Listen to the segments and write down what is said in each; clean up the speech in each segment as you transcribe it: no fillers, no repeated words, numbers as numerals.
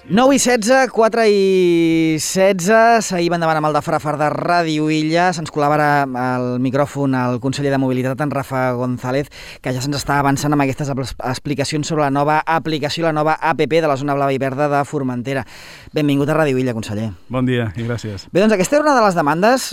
9 i 16, 4 i 16, seguim endavant amb el de Frafar de Ràdio Illa. Se'ns col·labora al micròfon el conseller de Mobilitat, en Rafa González, que ja se'ns està avançant amb aquestes explicacions sobre la nova aplicació, la nova APP de la zona blava i verda de Formentera. Benvingut a Ràdio Illa, conseller. Bon dia i gràcies. Bé, doncs aquesta era una de les demandes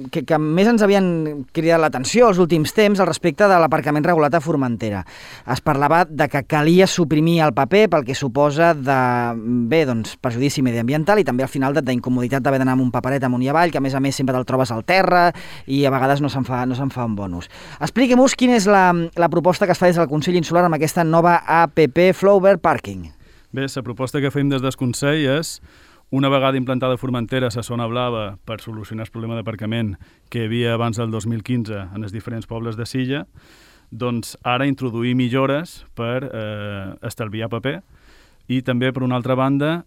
que més ens havien cridat l'atenció els últims temps al respecte de l'aparcament regulat a Formentera. Es parlava de que calia suprimir el paper pel que suposa de, doncs, perjudici mediambiental i també al final d'incomoditat d'haver d'anar amb un paperet amunt i avall, que a més sempre te'l trobes al terra i a vegades no se'n fa un bon ús. Expliquem-nos quina és la proposta que es fa des del Consell Insular amb aquesta nova APP Flowbird Parking. Bé, la proposta que fem des del Consell és, una vegada implantada a Formentera la zona blava per solucionar el problema d'aparcament que hi havia abans del 2015 en els diferents pobles de Silla, doncs ara introduir millores per estalviar paper i també, per una altra banda,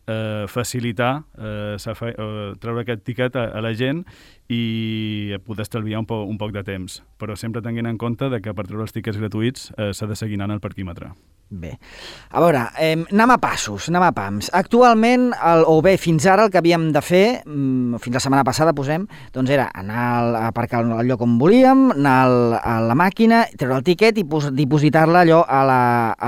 facilitar treure aquest tiquet a la gent i poder estalviar un poc de temps. Però sempre tenint en compte que per treure els tiquets gratuïts s'ha de seguir anant al parquímetre. Bé, a veure, anem a passos, anem a pams. Actualment, fins ara el que havíem de fer, fins la setmana passada posem, doncs era anar a aparcar al lloc on volíem, anar a la màquina, treure el tiquet i dipositar-la allò a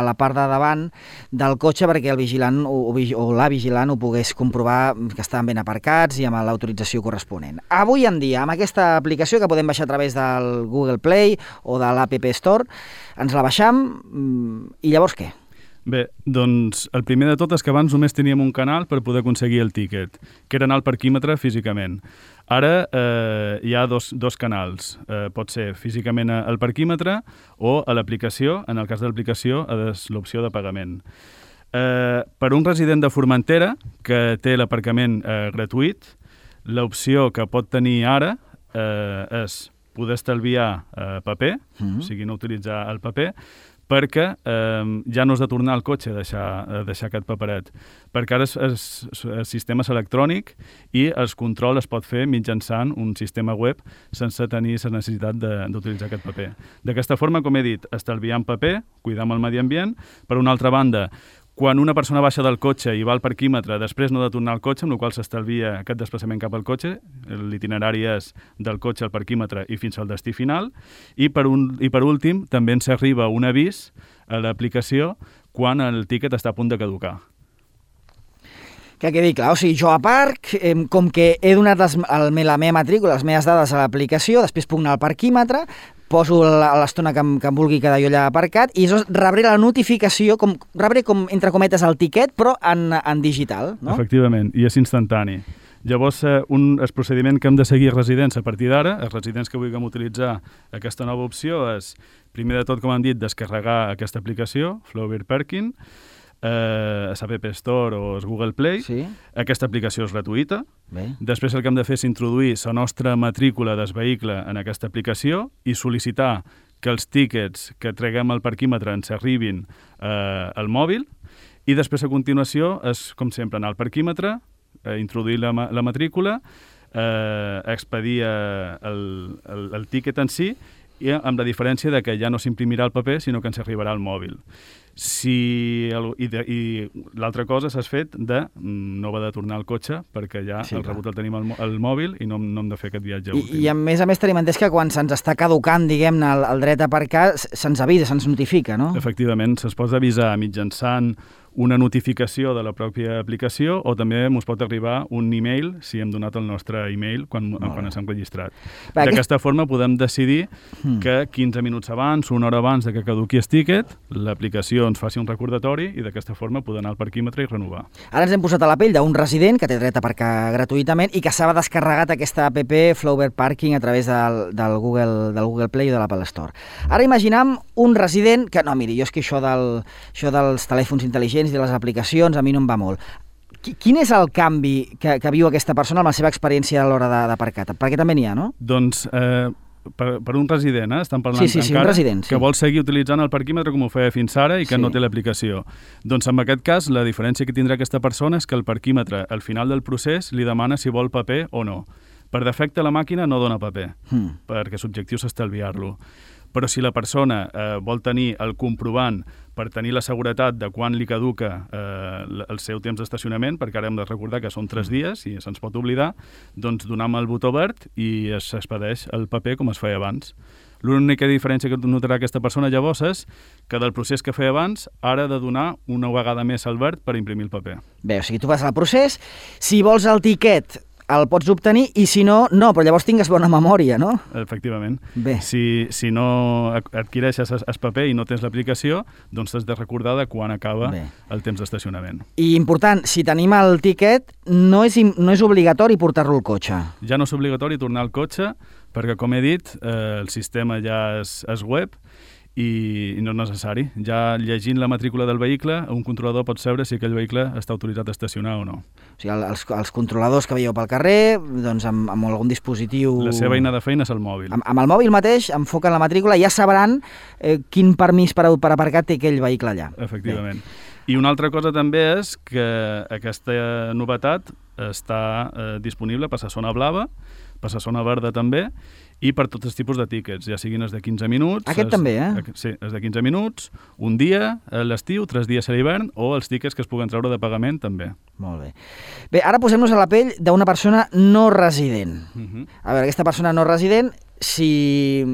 la part de davant del cotxe perquè el vigilant o la vigilant ho pogués comprovar que estaven ben aparcats i amb l'autorització corresponent. Avui en dia, amb aquesta aplicació que podem baixar a través del Google Play o de l'App Store, ens la baixam i llavors què? Bé, doncs el primer de tot és que abans només teníem un canal per poder aconseguir el tíquet, que era anar al parquímetre físicament. Ara hi ha dos canals. Pot ser físicament al parquímetre o a l'aplicació, en el cas de l'aplicació, és l'opció de pagament. Per un resident de Formentera que té l'aparcament gratuït, l'opció que pot tenir ara és poder estalviar paper, o sigui, no utilitzar el paper, perquè ja no has de tornar al cotxe a deixar aquest paperet. Perquè ara el sistema és electrònic i el control es pot fer mitjançant un sistema web sense tenir la necessitat d'utilitzar aquest paper. D'aquesta forma, com he dit, estalviant paper, cuidant el medi ambient. Per una altra banda, quan una persona baixa del cotxe i va al parquímetre, després no ha de tornar al cotxe, amb la qual cosa s'estalvia aquest desplaçament cap al cotxe. L'itinerari és del cotxe al parquímetre i fins al destí final. I per últim, també ens arriba un avís a l'aplicació quan el tíquet està a punt de caducar. Que quedi clar, o sigui, jo a parc, com que he donat la meva matrícula, les meves dades a l'aplicació, després puc anar al parquímetre, poso l'estona que em vulgui quedar jo allà aparcat i rebré la notificació, rebré com, entre cometes, el tiquet, però en digital, no? Efectivament, i és instantani. Llavors, el procediment que hem de seguir residents a partir d'ara, els residents que vulguem utilitzar aquesta nova opció és, primer de tot, com hem dit, descarregar aquesta aplicació, Flowbird Parking, a l'App Store o al Google Play. Sí. Aquesta aplicació és gratuïta. Bé. Després el que hem de fer és introduir la nostra matrícula del vehicle en aquesta aplicació i sol·licitar que els tíquets que treguem al parquímetre ens arribin al mòbil i després a continuació és, com sempre, anar al parquímetre, introduir la matrícula, expedir el tíquet en si i amb la diferència de que ja no s'imprimirà el paper sinó que ens arribarà al mòbil. I l'altra cosa s'ha fet de no haver de tornar al cotxe perquè ja el rebut el tenim al mòbil i no hem de fer aquest viatge últim. I a més tenim entès que quan se'ns està caducant, diguem-ne, el dret a aparcar, se'ns avisa, se'ns notifica, no? Efectivament, se'ns pot avisar mitjançant una notificació de la pròpia aplicació o també ens pot arribar un e-mail si hem donat el nostre e-mail quan ens hem registrat. D'aquesta forma podem decidir que 15 minuts abans, una hora abans que caduqui el tíquet, l'aplicació ens faci un recordatori i d'aquesta forma poder anar al parquímetre i renovar. Ara ens hem posat a la pell d'un resident que té dret a aparcar gratuïtament i que s'ha descarregat aquesta app Flowbird Parking a través del Google Play o de l'Apple Store. Ara imaginem un resident que, no, miri, jo és que això dels telèfons intel·ligents i de les aplicacions a mi no em va molt. Quin és el canvi que viu aquesta persona amb la seva experiència a l'hora d'aparcar? Perquè també n'hi ha, no? Doncs per un resident, estan parlant un resident, que vol seguir utilitzant el parquímetre com ho feia fins ara i que no té l'aplicació. Doncs en aquest cas la diferència que tindrà aquesta persona és que el parquímetre al final del procés li demana si vol paper o no. Per defecte la màquina no dona paper, perquè l'objectiu és estalviar-lo. però si la persona vol tenir el comprovant per tenir la seguretat de quan li caduca el seu temps d'estacionament, perquè ara hem de recordar que són 3 dies i se'ns pot oblidar, doncs donem el botó verd i s'expedeix el paper com es feia abans. L'única diferència que notarà aquesta persona llavors és que del procés que feia abans ara ha de donar una vegada més el verd per imprimir el paper. Bé, o sigui, tu vas al procés, si vols el tiquet el pots obtenir i si no, no, però llavors tingues bona memòria, no? Efectivament. Bé. Si no adquireixes el paper i no tens l'aplicació, doncs t'has de recordar de quan acaba el temps d'estacionament. I important, si tenim el tiquet, no és obligatori portar-lo al cotxe. Ja no és obligatori tornar al cotxe, perquè, com he dit, el sistema ja és web i no és necessari. Ja llegint la matrícula del vehicle, un controlador pot saber si aquell vehicle està autoritzat a estacionar o no. O sigui, els controladors que veieu pel carrer, doncs amb algun dispositiu... La seva eina de feina és el mòbil. Amb el mòbil mateix, enfoquen la matrícula i ja sabran quin permís per aparcar té aquell vehicle allà. Efectivament. I una altra cosa també és que aquesta novetat està disponible per la zona blava, per la zona verda també, i per tots els tipus de tíquets, ja siguin els de 15 minuts... Aquest també, Sí, els de 15 minuts, un dia a l'estiu, 3 dies a l'hivern, o els tíquets que es puguen treure de pagament també. Molt bé. Bé, ara posem-nos a la pell d'una persona no resident. A veure, aquesta persona no resident, si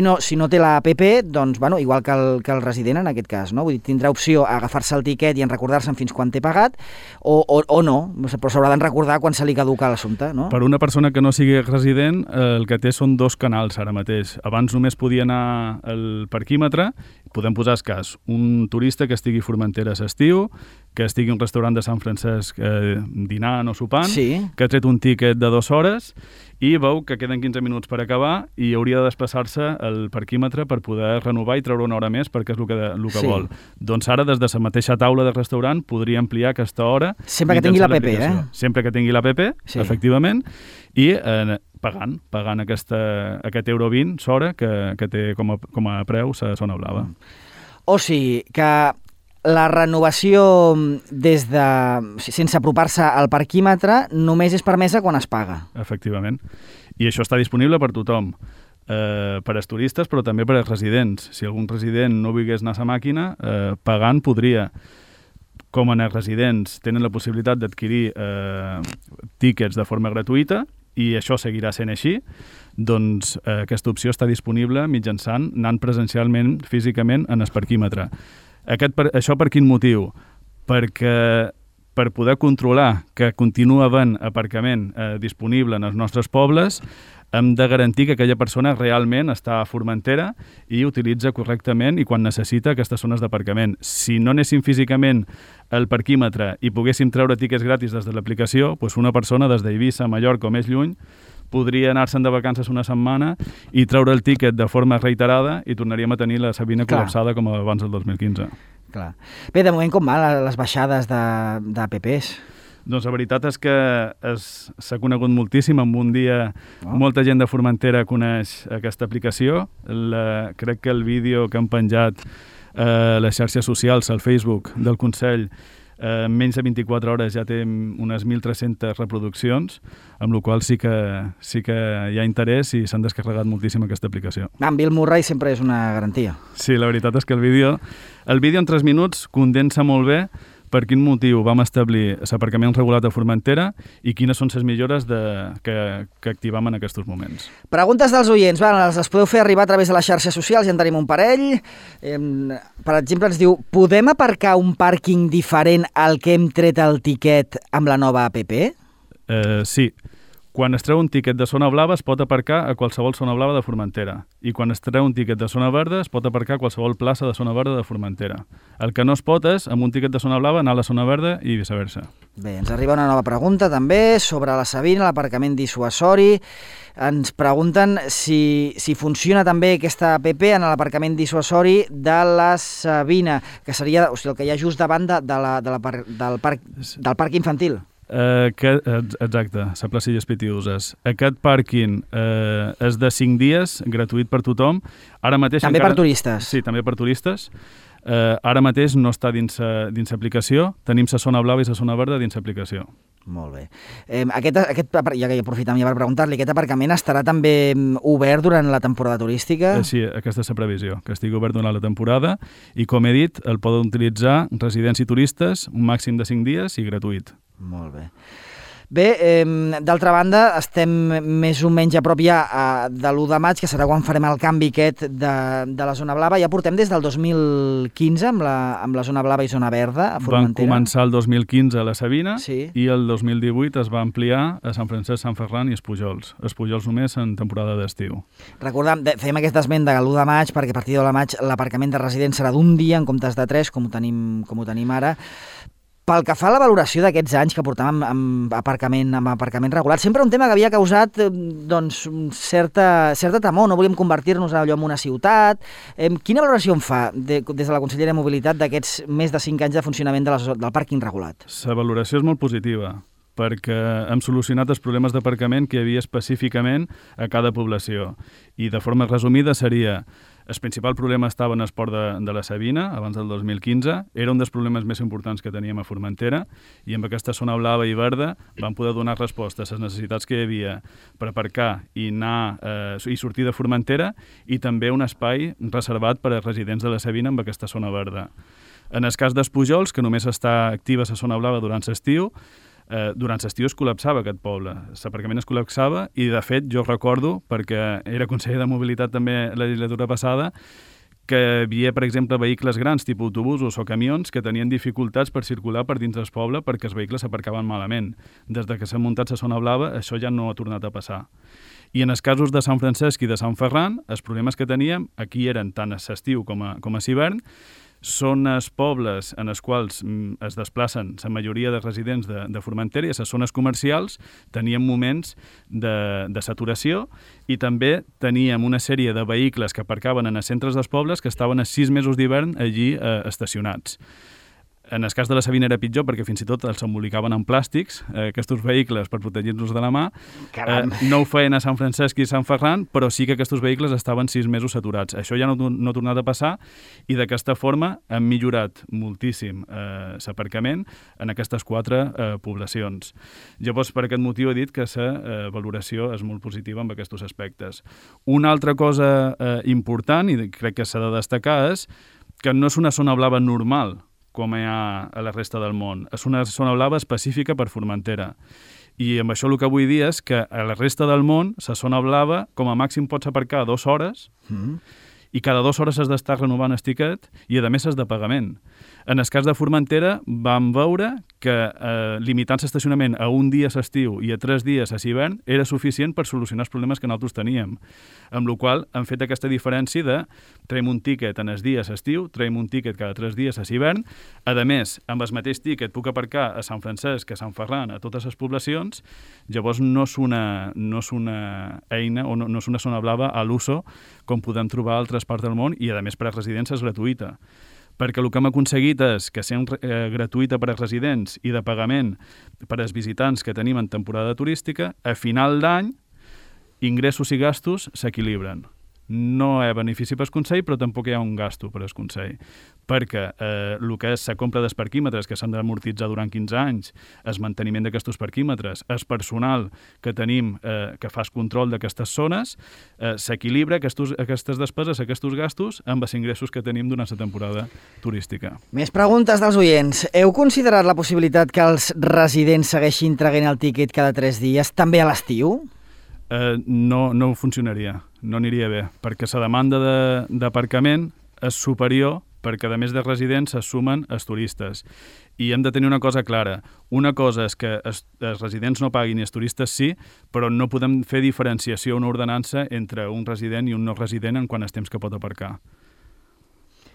no té la app, doncs, bueno, igual que el resident en aquest cas, no? Vull dir, tindrà opció a agafar-se el tiquet i en recordar-se'n fins quan té pagat, o no, però s'haurà de recordar quan se li caduca l'assumpte, no? Per una persona que no sigui resident, el que té són 2 canals ara mateix. Abans només podia anar al parquímetre, podem posar el cas, un turista que estigui a Formentera a l'estiu, que estigui a un restaurant de Sant Francesc dinant o sopant, que ha tret un tiquet de 2 hores i veu que queden 15 minuts per acabar i hauria de desplaçar-se al parquímetre per poder renovar i treure una hora més perquè és el que vol. Doncs ara, des de la mateixa taula del restaurant, podria ampliar aquesta hora. Sempre que tingui l'app, Sempre que tingui l'app, efectivament, i pagant aquest €1.20 s'hora que té com a preu la zona blava. O sigui que la renovació sense apropar-se al parquímetre només és permesa quan es paga. Efectivament. I això està disponible per tothom, per als turistes, però també per als residents. Si algun resident no volgués anar a la màquina, pagant podria. Com en els residents tenen la possibilitat d'adquirir tíquets de forma gratuïta, i això seguirà sent així, doncs aquesta opció està disponible mitjançant anant presencialment, físicament, en el parquímetre. Això per quin motiu? Perquè per poder controlar que continua havent aparcament disponible en els nostres pobles, hem de garantir que aquella persona realment està a Formentera i utilitza correctament i quan necessita aquestes zones d'aparcament. Si no anéssim físicament al parquímetre i poguéssim treure tíquets gratis des de l'aplicació, doncs una persona des d'Eivissa, Mallorca o més lluny podria anar-se'n de vacances una setmana i treure el tíquet de forma reiterada i tornaríem a tenir la Sabina col·lapsada com abans del 2015. Clar. Bé, de moment com van les baixades d'apps? Doncs la veritat és que s'ha conegut moltíssim. En un dia molta gent de Formentera coneix aquesta aplicació. Crec que el vídeo que han penjat a les xarxes socials, al Facebook del Consell, en menys de 24 hores ja té unes 1.300 reproduccions, amb la qual sí que hi ha interès i s'han descarregat moltíssim aquesta aplicació. En Bill Murray sempre és una garantia. Sí, la veritat és que el vídeo en 3 minuts condensa molt bé per quin motiu vam establir l'aparcament regulat a Formentera i quines són les millores que activem en aquests moments. Preguntes dels oients, les podeu fer arribar a través de les xarxes socials, ja en tenim un parell. Per exemple, ens diu, podem aparcar un pàrquing diferent al que hem tret el tiquet amb la nova app? Sí. Quan es treu un tiquet de zona blava es pot aparcar a qualsevol zona blava de Formentera i quan es treu un tiquet de zona verda es pot aparcar a qualsevol plaça de zona verda de Formentera. El que no es pot és, amb un tiquet de zona blava, anar a la zona verda i viceversa. Bé, ens arriba una nova pregunta també sobre la Sabina, l'aparcament dissuasori. Ens pregunten si funciona també aquesta app en l'aparcament dissuasori de la Sabina, que seria el que hi ha just davant del parc infantil. Exacte, la plaça Pitiuses. Aquest pàrquing és de 5 dies, gratuït per tothom. Ara mateix també per turistes? Sí, també per turistes. Ara mateix no està dins l'aplicació, tenim la zona blava i la zona verda dins l'aplicació. Molt bé. Ja que aprofitem ja per preguntar-li, aquest aparcament estarà també obert durant la temporada turística? Sí, aquesta és la previsió, que estigui obert durant la temporada i, com he dit, el poden utilitzar residents i turistes un màxim de 5 dies i gratuït. Molt bé. Bé, d'altra banda, estem més o menys a prop ja de l'1 de maig, que serà quan farem el canvi aquest de la zona blava. Ja portem des del 2015 amb la zona blava i zona verda a Formentera. Van començar el 2015 a la Sabina sí. I el 2018 es va ampliar a Sant Francesc, Sant Ferran i Espujols. Espujols només en temporada d'estiu. Recordem, fèiem aquest esment de l'1 de maig perquè a partir de l'1 de maig l'aparcament de residents serà d'1 dia en comptes de 3, com ho tenim ara. Pel que fa a la valoració d'aquests anys que portàvem amb aparcament regulat, sempre un tema que havia causat doncs, certa temor, no volíem convertir-nos allò en una ciutat. Quina valoració en fa des de la Conselleria de Mobilitat d'aquests més de 5 anys de funcionament del pàrquing regulat? La valoració és molt positiva, perquè hem solucionat els problemes d'aparcament que hi havia específicament a cada població. I de forma resumida seria: el principal problema estava en el port de la Sabina, abans del 2015. Era un dels problemes més importants que teníem a Formentera i amb aquesta zona blava i verda vam poder donar resposta a les necessitats que hi havia per aparcar i i sortir de Formentera i també un espai reservat per a residents de la Sabina amb aquesta zona verda. En el cas d'Espujols, que només està activa la zona blava durant l'estiu, es col·lapsava aquest poble. L'aparcament es col·lapsava i, de fet, jo recordo, perquè era conseller de Mobilitat també la legislatura passada, que hi havia, per exemple, vehicles grans, tipus autobusos o camions, que tenien dificultats per circular per dins del poble perquè els vehicles s'aparcaven malament. Des que s'ha muntat la zona blava, això ja no ha tornat a passar. I en els casos de Sant Francesc i de Sant Ferran, els problemes que teníem aquí eren tant a l'estiu com a l'hivern. Són els pobles en els quals es desplacen la majoria de residents de Formentera i a les zones comercials teníem moments de saturació i també teníem una sèrie de vehicles que aparcaven en els centres dels pobles que estaven a 6 mesos d'hivern allí estacionats. En el cas de la Sabina era pitjor perquè fins i tot els embolicaven en plàstics, aquests vehicles, per protegir-nos de la mà. No ho feien a Sant Francesc i Sant Ferran, però sí que aquests vehicles estaven 6 mesos saturats. Això ja no ha tornat a passar i d'aquesta forma hem millorat moltíssim l'aparcament en aquestes 4 poblacions. Llavors, per aquest motiu he dit que la valoració és molt positiva en aquests aspectes. Una altra cosa important, i crec que s'ha de destacar, és que no és una zona blava normal, com hi ha a la resta del món. És una zona blava específica per Formentera. I amb això el que vull dir és que a la resta del món, la zona blava, com a màxim pots aparcar 2 hores i cada 2 hores has d'estar renovant el tiquet i, a més, és de pagament. En el cas de Formentera vam veure que limitant l'estacionament a 1 dia a l'estiu i a 3 dies a l'hivern era suficient per solucionar els problemes que nosaltres teníem. Amb la qual cosa hem fet aquesta diferència de traiem un tíquet en els dies a estiu, traiem un tíquet cada 3 dies a l'hivern. A més, amb el mateix tíquet puc aparcar a Sant Francesc, a Sant Ferran, a totes les poblacions. Llavors no és una eina o no és una zona blava a l'uso com podem trobar a altres parts del món i, a més, per a residents és gratuïta. Perquè el que hem aconseguit és que sent gratuïta per als residents i de pagament per als visitants que tenim en temporada turística, a final d'any, ingressos i gastos s'equilibren. No hi ha benefici per al Consell, però tampoc hi ha un gasto per al Consell, perquè el que és la compra dels parquímetres, que s'han d'amortitzar durant 15 anys, el manteniment d'aquests parquímetres, el personal que tenim que fa el control d'aquestes zones, s'equilibra aquestes despeses, aquests gastos, amb els ingressos que tenim durant la temporada turística. Més preguntes dels oients. Heu considerat la possibilitat que els residents segueixin traient el tíquet cada 3 dies, també a l'estiu? No funcionaria, no aniria bé, perquè la demanda d'aparcament és superior perquè, a més de residents, es sumen els turistes. I hem de tenir una cosa clara. Una cosa és que els residents no paguin i els turistes sí, però no podem fer diferenciació, una ordenança entre un resident i un no resident en quant al temps que pot aparcar.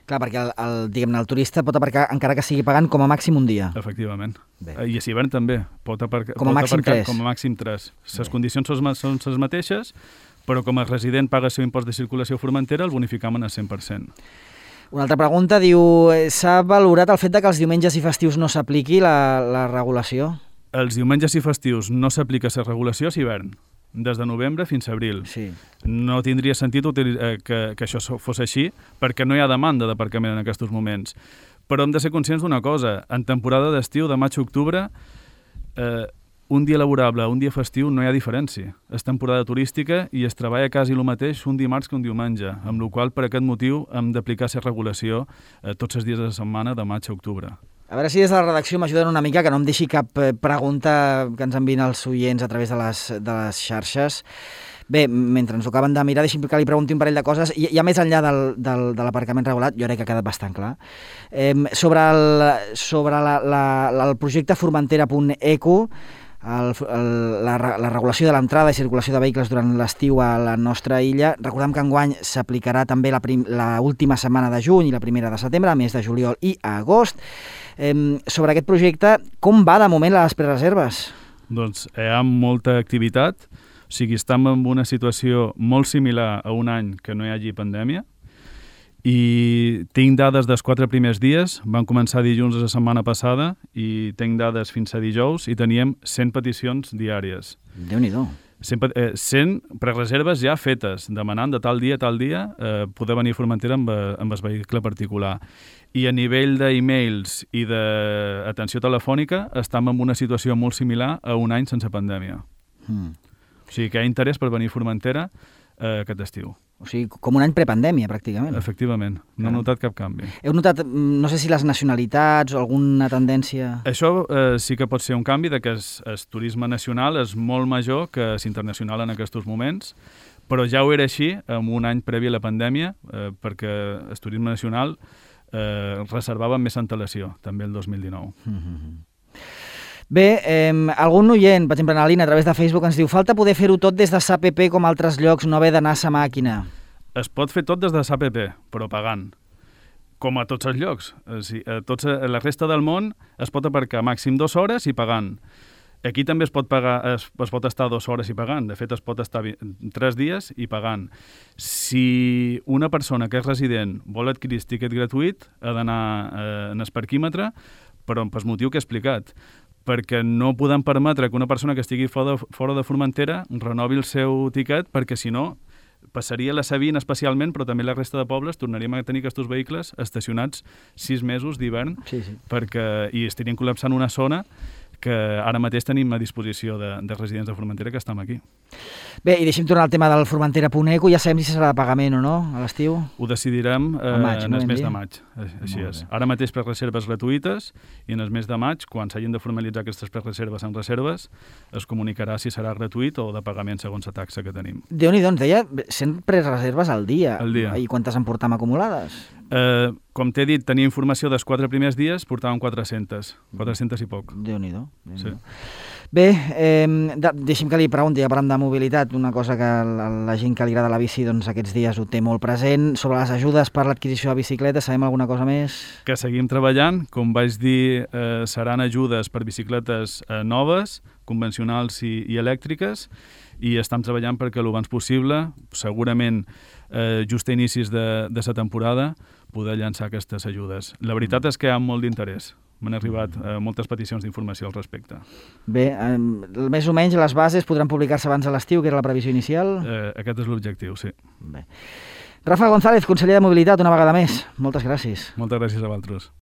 Clar, perquè el turista pot aparcar encara que sigui pagant com a màxim 1 dia. Efectivament. Bé. I a l'hivern també. Pot aparcar com a màxim 3. Com a màxim 3. Les condicions són les mateixes, però com a resident paga el seu impost de circulació a Formentera, el bonificam en el 100%. Una altra pregunta diu, s'ha valorat el fet de que els diumenges i festius no s'apliqui la regulació? Els diumenges i festius no s'aplica la regulació a l'hivern, des de novembre fins a abril. Sí. No tindria sentit que això fos així, perquè no hi ha demanda d'aparcament en aquests moments. Però hem de ser conscients d'una cosa. En temporada d'estiu, de maig a octubre, un dia laborable, un dia festiu, no hi ha diferència. És temporada turística i es treballa quasi el mateix un dimarts que un diumenge, amb la qual per aquest motiu hem d'aplicar aquesta regulació tots els dies de la setmana de maig a octubre. A veure si des de la redacció m'ajuden una mica, que no em deixi cap pregunta que ens envien els oients a través de les xarxes. Bé, mentre ens ho acaben de mirar, deixi'm que li pregunti un parell de coses. Ja més enllà de l'aparcament regulat, jo crec que ha quedat bastant clar. Sobre el projecte Formentera.eco, la regulació de l'entrada i circulació de vehicles durant l'estiu a la nostra illa, recordem que enguany s'aplicarà també l'última setmana de juny i la primera de setembre, a més de juliol i agost. Sobre aquest projecte, com va de moment les prereserves? Doncs hi ha molta activitat. O sigui, estem en una situació molt similar a un any que no hi hagi pandèmia i tinc dades dels 4 primers dies, van començar dilluns de la setmana passada i tinc dades fins a dijous i teníem 100 peticions diàries. Déu-n'hi-do. 100 prereserves ja fetes, demanant de tal dia poder venir a Formentera amb el vehicle particular. I a nivell d'e-mails i d'atenció telefònica estem en una situació molt similar a un any sense pandèmia. O sigui que hi ha interès per venir a Formentera aquest estiu. O sigui, com un any prepandèmia, pràcticament. Efectivament, no he notat cap canvi. Heu notat, no sé si les nacionalitats o alguna tendència... Això sí que pot ser un canvi, que el turisme nacional és molt major que l'internacional en aquests moments, però ja ho era així en un any previ a la pandèmia, perquè el turisme nacional reservava amb més antelació, també el 2019. Bé, algun oient, per exemple, en la línia a través de Facebook ens diu falta poder fer-ho tot des de SAPP com altres llocs, no haver d'anar a sa màquina. Es pot fer tot des de SAPP, però pagant, com a tots els llocs. A la resta del món es pot aparcar màxim 2 hores i pagant. Aquí també es pot estar 2 hores i pagant. De fet, es pot estar 3 dies i pagant. Si una persona que és resident vol adquirir el tiquet gratuït, ha d'anar en el parquímetre, però per motiu que he explicat, perquè no podem permetre que una persona que estigui fora de Formentera renovi el seu tiquet, perquè si no passaria la Sabina especialment, però també la resta de pobles tornaríem a tenir aquests vehicles estacionats 6 mesos d'hivern, i estarien col·lapsant una zona que ara mateix tenim a disposició de residents de Formentera que estem aquí. Bé, i deixem tornar al tema del Formentera.eco. Ja sabem si serà de pagament o no a l'estiu? Ho decidirem en el mes de maig. Així és. Ara mateix per reserves gratuïtes i en el mes de maig, quan s'hagin de formalitzar aquestes prereserves en reserves, es comunicarà si serà gratuït o de pagament segons la taxa que tenim. Déu-n'hi-do, ens deia 100 prereserves al dia. Al dia. I quantes en portam acumulades? Com t'he dit, tenia informació dels 4 primers dies, portàvem 400 i poc. Déu-n'hi-do. Sí. Bé, deixi'm que li pregunti, ja parlant de mobilitat, una cosa que la gent que li agrada la bici doncs, aquests dies ho té molt present. Sobre les ajudes per l'adquisició de bicicletes, sabem alguna cosa més? Que seguim treballant. Com vaig dir, seran ajudes per bicicletes noves, convencionals i elèctriques, i estem treballant perquè el abans possible, segurament just a inicis de la temporada, poder llançar aquestes ajudes. La veritat és que hi ha molt d'interès. M'han arribat moltes peticions d'informació al respecte. Bé, més o menys les bases podran publicar-se abans de l'estiu, que era la previsió inicial? Aquest és l'objectiu, sí. Bé. Rafa González, conseller de Mobilitat, una vegada més. Moltes gràcies. Moltes gràcies a vosaltres.